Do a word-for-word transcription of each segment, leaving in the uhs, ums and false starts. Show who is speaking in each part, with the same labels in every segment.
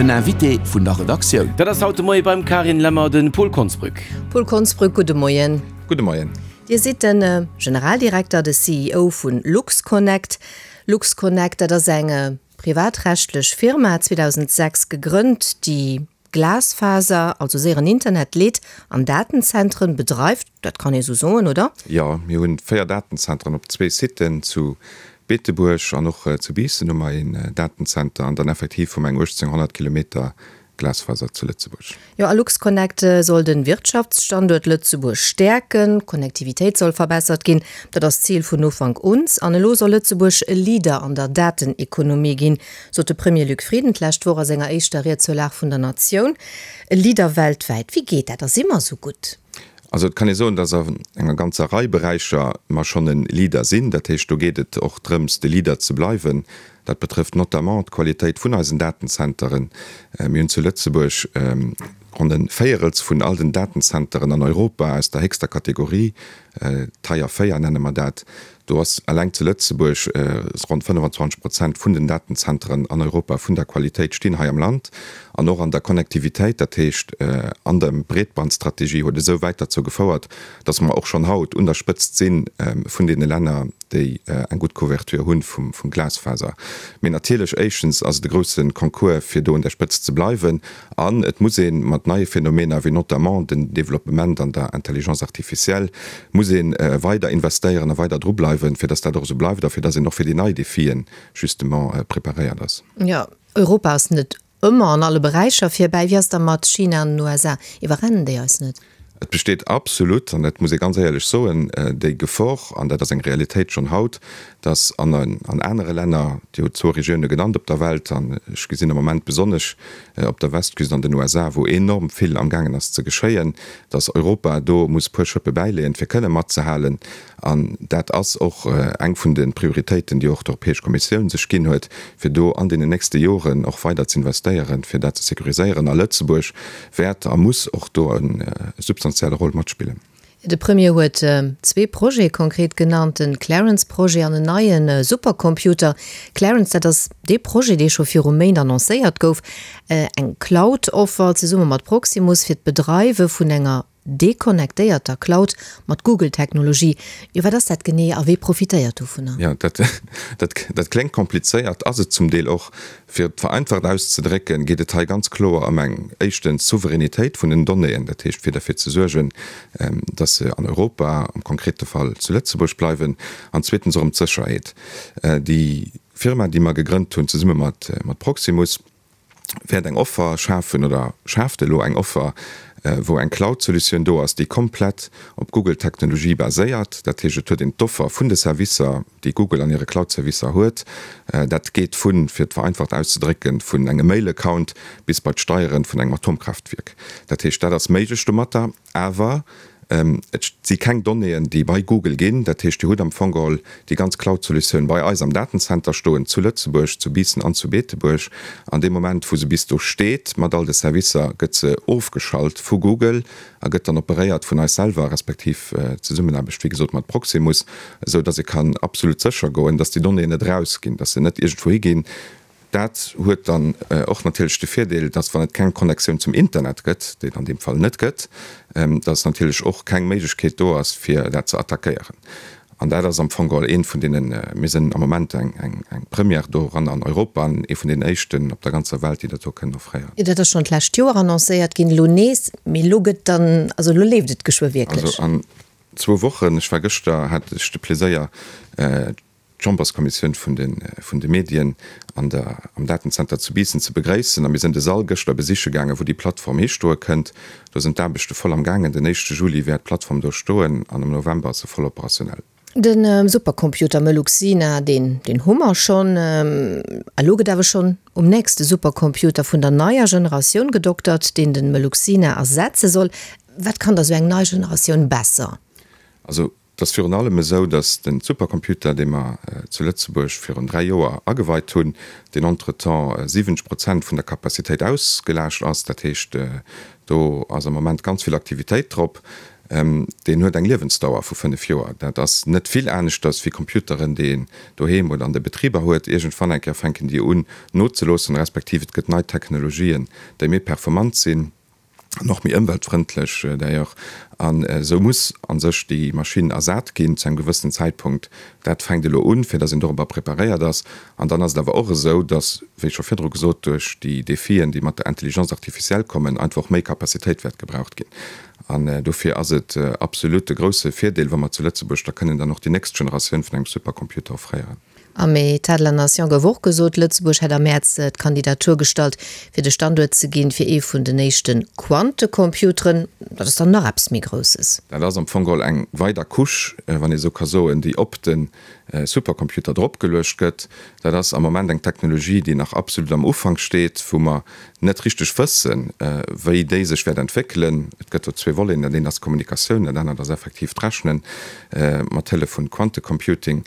Speaker 1: Den Invité vun der Redaktioun.
Speaker 2: Dat ass haut de Moie beim Carine Lemmer de Paul Konsbrück.
Speaker 3: Paul Konsbrück, gudde Moien.
Speaker 4: Gudde Moien.
Speaker 3: Dir sidd den Generaldirekter, de C E O vun LuxConnect. LuxConnect, dat ass eng privatrechtlech Firma, zweedausendsechs gegrënnt, déi Glasfaser, also séieren Internet leet an Datenzentren bedreift. Dat kann ee sou soen, oder?
Speaker 4: Jo, mir hunn véier Datenzentren op zwee Siten, zu Beetebuerg an och zu Biissen hu mer een Datenzenter an dann effektiv hu mer eng uechtzénghonnert Kilometer Glasfaser zu Lëtzebuerg.
Speaker 3: Jo, a LuxConnect soll de Wirtschaftsstanduert Lëtzebuerg stäerken, d'Connectivitéit soll verbessert ginn, dat ass d'Zil vun Ufank un. An elo soll Lëtzebuerg e Leader an der Datenekonomie ginn, sot de Premier Luc Frieden d'lescht Woch a senger éischter Ried zur Lag vun der Natioun. E Leader weltwäit, wéi geet dat? A si mer esou gutt?
Speaker 4: Also et kann ee soen, dass an enger ganzer Rei Beräicher mer schonn e Leader sinn. Dat heescht, do geet et och drëms, de Leader ze bleiwen. Dat betrëfft notamment d'Qualitéit vun eisen Datenzenteren. Mir hunn zu Lëtzebuerg ronn e Véierels vun all den Datenzenteren an Europa aus der héchster Kategorie, Tier véier nenne mer dat. Do ass eleng zu Lëtzebuerg ronn fënnefenzwanzeg Prozent vun den Datenzenteren an Europa vun der Qualitéit stinn hei am Land. An och an der Connectivitéit, dat heescht an der Breetbandstrategie, huet esou wäit derzou gefouert, datt mer och schonn haut un der Spëtzt si vun deene Länner, déi eng gutt Couverture hu vum Glasfaser. Mee natierlech, éischtens ass et e grousse Concours, fir do un der Spëtzt ze bleiwen. An et muss ee mat neie Phänomener, wéi notamment den Developpement an der Intelligence artificielle, muss ee weider investéieren a weider dru bleiwen, fir datt dat och esou bleift a fir datt een och fir déi nei Defien justement preparéiert ass.
Speaker 3: Jo, Europa ass net ëmmer an alle Beräicher virbäi. Wéi ass da mat China an den U S A? Iwwerrennen déi eis net?
Speaker 4: Et besteet absolut, an dat muss ee ganz éierlech soen, déi Gefor, an dat ass eng Realitéit schonn haut, datt an an anere Länner, Dir hutt zwou Regioune genannt op der Welt, an ech gesinn am Moment besonnesch op der Westküst an den U S A, wou enorm vill amgaangen ass ze geschéien, datt Europa do muss e puer Schëppe bäileeën, fir kënne matzehalen. An dat ass och eng vun de Prioritéiten, déi och d'Europäesch Kommissioun sech ginn huet, fir do an deenen nächste Joren och weider ze investéieren, fir dat ze sécuriséieren. A Lëtzebuerg wäert a muss och do e substantielle Roll matspillen.
Speaker 3: De Premier huet zwee Projete konkret genannt, den Clarence-Projet an en neie Supercomputer. Clarence, dat ass dee Projet, dee scho viru Méint annoncéiert gouf, eng Cloud-Offer zesumme mat Proximus fir d'Bedreiwe vun enger deconnectéierter Cloud mat Google-Technologie. Jo, wat ass dat genee a wie profitéiert dovunner?
Speaker 4: Jo, dat, dat, dat kléngt komplizéiert, ass et zum Deel och. Fir et vereinfacht auszedrécken, geet et hei ganz kloer ëm eng, éischtens, Souveränitéit vun den Donnéeën, dat heescht fir derfir ze suergen, dass se an Europa, am konkrete Fall zu Lëtzebuerg bleiwen, an zweetens och ëm d'Sécherheet. Déi Firma, déi mer gegrënnt hunn zesumme mat, mat Proximus, wäert eng Offer schafen oder schaaft elo eng Offer, wou eng Cloud-Solutioun do ass, déi komplett op Google-Technologie baséiert. Dat heescht, et huet een d'Offer vun de Servicer, déi Google an hire Cloud-Servicer huet. Dat geet vun, fir et vereinfacht auszedrécken, vun engem Mail-Account bis bei d'Steiere vun engem Atomkraaftwierk. Dat heescht, dat ass méiglech domatter, awer et si keng Donnéeën, déi bei Google ginn. Dat heescht, Dir hutt am Fong geholl déi ganz Cloud-Solutioun bei eis am Datenzenter stoen, zu Lëtzebuerg, zu Biissen an zu Beetebuerg. An deem Moment, wou se bis do steet mat all de Servicer, gëtt se ofgeschalt vu Google a gëtt dann operéiert vun eis selwer, respektiv Zesummenaarbecht, wéi gesot, mat Proximus, esou datt ee kann absolut sécher goen, datt déi Donnéeën net erausginn, datt se net iergendwou higinn. Dat huet dann och natierlech de Virdeel, dass, wann et keng Connectioun zum Internet gëtt, déi et an deem Fall net gëtt, dass natierlech och keng Méiglechkeet do ass, fir dat ze attackéieren. An dat ass am Fong geholl eent vun deenen, mir sinn am Moment eng eng Première doran an Europa an ee vun deenen éischten op der ganzer Welt, déi dat do kënnen offréieren.
Speaker 3: Dat ass schonn d'lescht Joer annoncéiert ginn, elo nees, mee elo gëtt dann, also elo leeft et geschwë wierklech.
Speaker 4: Also an zwou Wochen, ech war gëschter, hat ech de Pleséier, d'Chamberskommissioun vun de vun de Medien an der am Datenzenter zu Biissen ze begréissen a mir sinn de Sall gëschter besiche gaangen, wou déi Plattform histoe kënnt. Do sinn d'Aarbechte voll am gaangen. Den éischte Juli wäert d'Plattform do stoen an am November ass se voll operationell.
Speaker 3: De Supercomputer Meluxina, deen deen hu mer schonn. Elo gëtt awer schonn um nächste Supercomputer vun der neier Generatioun gedoktert, deen de Meluxina ersetze soll. Wat kann da sou eng nei Generatioun besser?
Speaker 4: Also et ass virun allem esou, datt de Supercomputer, dee mer zu Lëtzebuerg virun dräi Joer ageweit hunn, deen entretemps siwwenzeg Prozent vun der Capacitéit ausgelaascht ass. Dat heescht, do ass am Moment ganz vill Aktivitéit drop. deen huet eng Liewensdauer vu fënnef Joer. Dat ass net vill aneschters wéi Computeren, déi een doheem oder an de Betriber huet. Iergendwann eng Kéier fänken déi un nozeloossen, respektiv et gëtt nei Technologien, déi méi performant sinn an och méi ëmweltfrëndlech d'ailleurs. An esou muss a sech déi Maschinn ersat ginn zu engem gewëssenen Zäitpunkt. Dat fänkt elo un, fir datt een dorobber preparéiert ass. An dann ass et awer och esou, datt, wéi scho virdru gesot, duerch déi Defien, déi mat der Intelligence artificielle kommen, einfach och méi Capacitéit wäert gebraucht ginn. An dofir ass et absolut e grousse Virdeel, wa mer zu Lëtzebuerg da kënnen dann och déi nächst Generatioun vun engem Supercomputer offréieren.
Speaker 3: Am État de la Nation gouf och gesot, Lëtzebuerg hätt am Mäerz d'Kandidatur gestallt, fir de Standuert ze ginn fir ee vun den éischte Quantecomputeren. Dat ass dann nach eppes méi Grousses.
Speaker 4: Dat ass am Fong geholl eng weider Couche, wann ee sou ka soen, déi op de Supercomputer dropgeluecht gëtt. Dat ass am Moment eng Technologie, déi nach absolut am Ufank steet, wou mer net richteg wëssen, wéi déi sech wäert entwéckelen. Et gëtt do zwee Voleten, dat eent ass d'Kommunikatioun, dat anert ass effektiv d'Rechnen mat Hëllef vun Quantecomputing.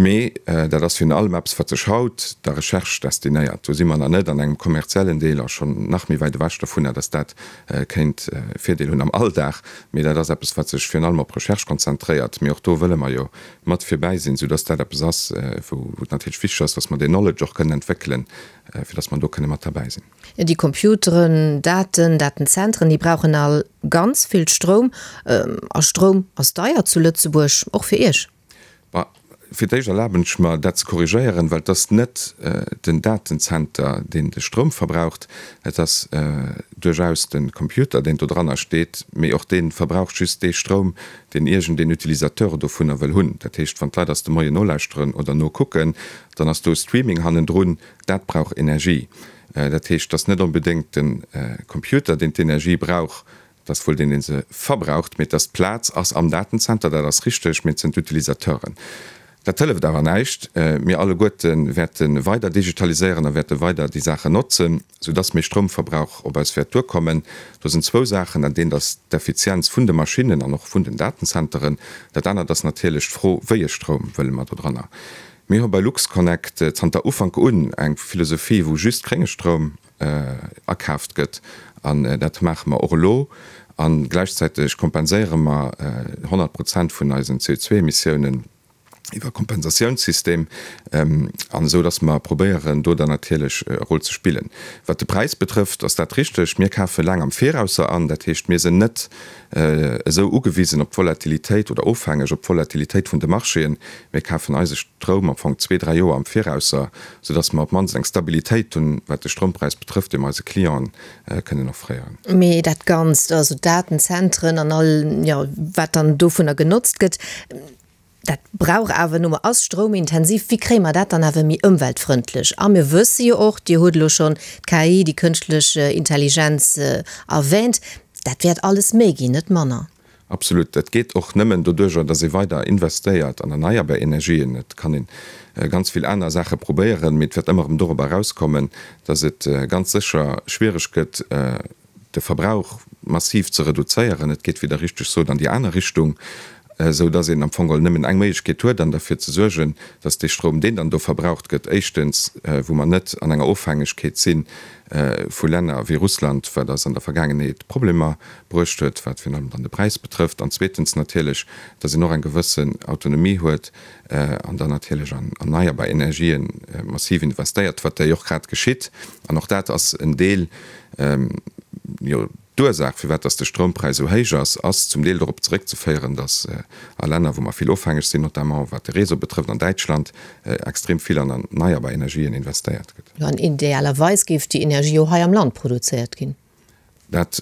Speaker 4: Mee dat ass virun allem eppes, wat sech haut der Recherche destinéiert. Do si mer nach net an engem kommerziellen Deel a schonn nach méi wäit ewech dovunner, dass dat kéint Virdeel hunn am Alldag. Mee dat ass eppes, wat sech virun allem op Recherche konzentréiert. Mee och do wëlle mer jo mat virbäi sinn, soudass dat eppes ass, wou et natierlech wichteg ass, dass mer deen Knowledge och kënnen entwéckelen, fir dass mer do kënne mat derbäi sinn.
Speaker 3: Déi Computeren, Daten, Datenzentren, déi brauchen all ganz vill Stroum. A Stroum ass deier zu Lëtzebuerg, och fir Iech.
Speaker 4: Bah, fir d'éischt erlaben ech mer, dat ze korrigéieren, well et ass net den Datenzenter, deen de Stroum verbraucht. Et ass duerchaus de Computer, deen do dranner steet, mee och dee verbraucht just dee Stroum, deen iergendeen Utilisateur dovunner wëll hunn. Dat heescht, wann d'Leit eis de Moien nolauschteren oder nokucken, dann ass do Streaming hannendrun, dat brauch Energie. Dat heescht, et ass net onbedéngt de Computer, deen d'Energie brauch, Et ass wuel deen, dee se verbraucht, mee dass d'Plaz ass am Datenzenter, dat ass richteg, mee et sinn d'Utilisateuren. Dat hëlleft awer näischt. Mir alleguerte wäerte weider digitaliséieren a wäerte weider déi Saachen notzen, soudass méi Stroumverbrauch op eis wäert duerkommen. Do sinn zwou Saachen, Dat eent ass d'Effizienz vun de Maschinnen an och vun den Datenzenteren. Dat anert ass natierlech d'Fro, Wéi e Stroum wëlle mer dodranner? Mir hu bei LuxConnect zanter Ufank un eng Philosophie, wou just grénge Stroum akaaft gëtt, an dat maache mer och elo. A gläichzäiteg kompenséiere mer honnert Prozent vun eisen C O zwei Emissiounen iwwer Kompensatiounssystem, an esou datt mer probéieren, do dann natierlech e Rôle ze spillen. Wat de Präis betrëfft, ass dat richteg, mir kafe laang am Virausser an, dat heescht, mir sinn net esou ugewisen op d'Volatilitéit oder ofhängeg op d'Volatilitéit vun de Marchéen. Mir kafen eise Stroum am Fong zwee, dräi Joer am Virausser, soudass mer op d'mannst eng Stabilitéit hunn, wat de Stroumpräis betrëfft, dee mer eise Clienten kënnen offréieren.
Speaker 3: Mee dat Ganzt, also d'Datenzentren an all, jo, wat dann dovunner genotzt gëtt, dat brauch awer nu mol, ass stroumintensiv. Wéi kréie mer dat dann awer méi ëmweltfrëndlech? A mir wësse jo och, Dir hutt elo schonn d'K I, déi kënschtlech Intelligenz, erwähnt, dat wäert alles méi ginn, net manner.
Speaker 4: Absolut. Dat geet och nëmmen doduerjer, datt ee weider investéiert an erneierbar Energien. Et kann ee ganz vill aner Saache probéieren, mee et wäert ëmmer erëm dorobber erauskommen, datt et ganz sécher schwiereg gëtt, de Verbrauch massiv ze reduzéieren. Et geet, wéi Der richteg sot, an déi aner Richtung, esou datt een am Fong geholl nëmmen eng Méiglechkeet huet, an derfir ze suergen, datt dee Stroum, deen dann do verbraucht gëtt, éischtens, wou mer net an enger Ofhängegkeet si vu Länner wéi Russland, wat eis an der Vergaangenheet Problemer bruecht huet, wat virun allem dann de Präis betrëfft, an zweetens natierlech, datt een och eng gewëssen Autonomie huet an dann natierlech an erneierbar Energien massiv investéiert, wat jo och grad geschitt. An och dat ass en Deel, jo, D'Ursaach, firwat dass de Stroumpräis esou héich ass, ass zum Deel dorop zeréckzeféieren, dass a Länner, wou mer vill ofhängeg sinn, notamment wat de Réseau betrëfft, an Däitschland, extrem vill an erneierbar Energien investéiert gëtt.
Speaker 3: Jo, an idealerweis géif déi Energie jo hei am Land produzéiert ginn.
Speaker 4: Dat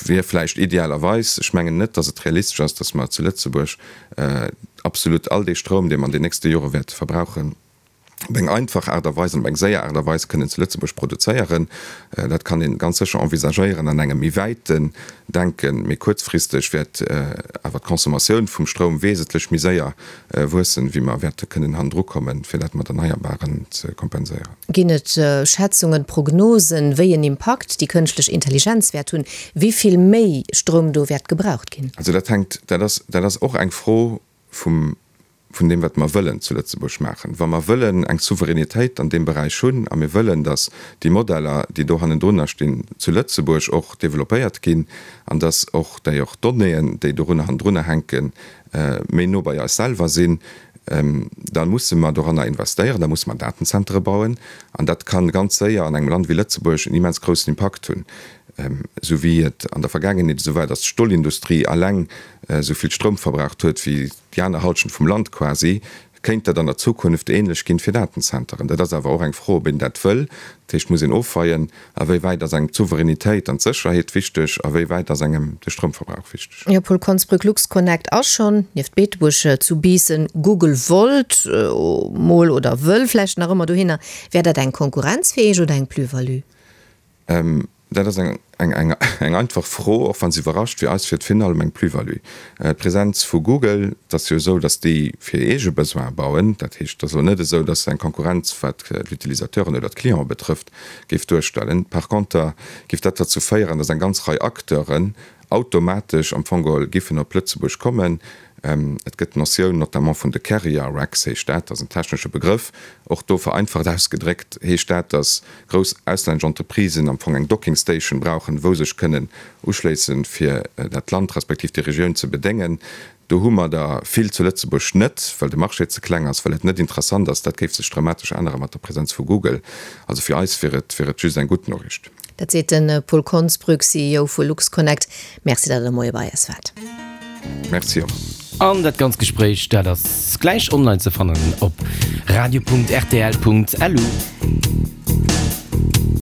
Speaker 4: wier vläicht idealerweis. Ech mengen net, dass et realistesch ass, dass mer zu Lëtzebuerg absolut all dee Stroum, dee mer an den nächste Jore wäerte verbrauchen, op eng einfach Aart a Weis an op eng séier Aart a Weis kënnen zu Lëtzebuerg produzéieren. Dat kann ee ganz sécher envisagéieren an engem méi wäiten Denken. Méi kuerzfristeg wäert awer d'Consommatioun vum Stroum wesentlech méi séier wuessen, wéi mer wäerte kënnen hannendru kommen, fir dat mat Erneierbaren ze kompenséieren.
Speaker 3: Ginn et Schätzungen, Prognosen, wéi en Impakt déi kënschtlech Intelligenz wäert hunn, wéi vill méi Stroum do wäert gebraucht ginn?
Speaker 4: Also dat hänkt, dat ass, dat ass och eng Fro vum vun deem, wat mer wëllen zu Lëtzebuerg maachen. Wa mer wëllen eng Souveränitéit an deem Beräich hunn a mir wëllen, datt déi Modeller, déi do hannendrunner stinn, zu Lëtzebuerg och développéiert ginn an datt och déi och Donnéeën, déi dorunner hannendrunner hänken, méi no bei eis selwer sinn, da musse mer doranner investéieren, da musse mer Datenzentere bauen. An dat ka ganz séier an engem Land wéi Lëtzebuerg en immens groussen Impakt hunn, esou wéi et an der Vergaangenheet esou war, datt d'Stolindustrie alleng esou vill Stroum verbraucht huet wéi déi aner Halschent vum Land quasi, kéint dat an der Zukunft ähnlech ginn fir Datenzenteren. Dat ass awer och eng Fro, ob een dat wëll. Dat heescht, et muss een ofweien, a wéi wäit ass engem d'Souveränitéit an d'Sécherheet wichteg, a wéi wäit ass engem de Stroumverbrauch wichteg.
Speaker 3: Jo, Paul Konsbrück, LuxConnect ass schonn nieft Beetebuerg zu Biissen. Google wollt mol oder wëll vläicht nach ëmmer dohinner. Wär dat eng Konkurrenz fir Iech oder eng Plus-value?
Speaker 4: Dat ass eng, eng, eng einfach Fro, och wa se iwwerrascht. Fir eis wier et virun allem eng Plus-value. D'Presenz vu Google, et ass jo esou, datt déi fir eege Besoine bauen. Dat heescht, et ass elo net esou, datt se eng Konkurrenz, wat d'Utilisateuren oder d'Clienten betrëfft, géif duerstellen. Par conter géif dat derzou féieren, datt eng ganz Rei Acteuren automatesch am Fong geholl giffen op Lëtzebuerg kommen. Et gëtt d'Notioun notamment vun de Carrier Racks, heescht dat, dat ass en technesche Begrëff, och do vereinfacht ausgedréckt heescht dat, datt grouss auslännesch Entreprisen am Fong eng Docking Station brauchen, wou sech kënnen uschléissen, fir dat Land respektiv déi Regioun ze bedéngen. Do hu mer der vill zu Lëtzebuerg net, well de Marché ze kleng ass, well et net interessant ass. Dat géif sech dramatesch ännere mat der Presenz vu Google. Also fir eis wier et, wier et just eng gutt Noriicht.
Speaker 3: Dat seet de Paul Konsbrück, C E O vu LuxConnect. Merci, datt Der de Moie bei eis waart.
Speaker 4: Merci och.
Speaker 2: An dat ganz Gespréich, dat ass gläich online ze fannen op radio punkt rtl punkt lu.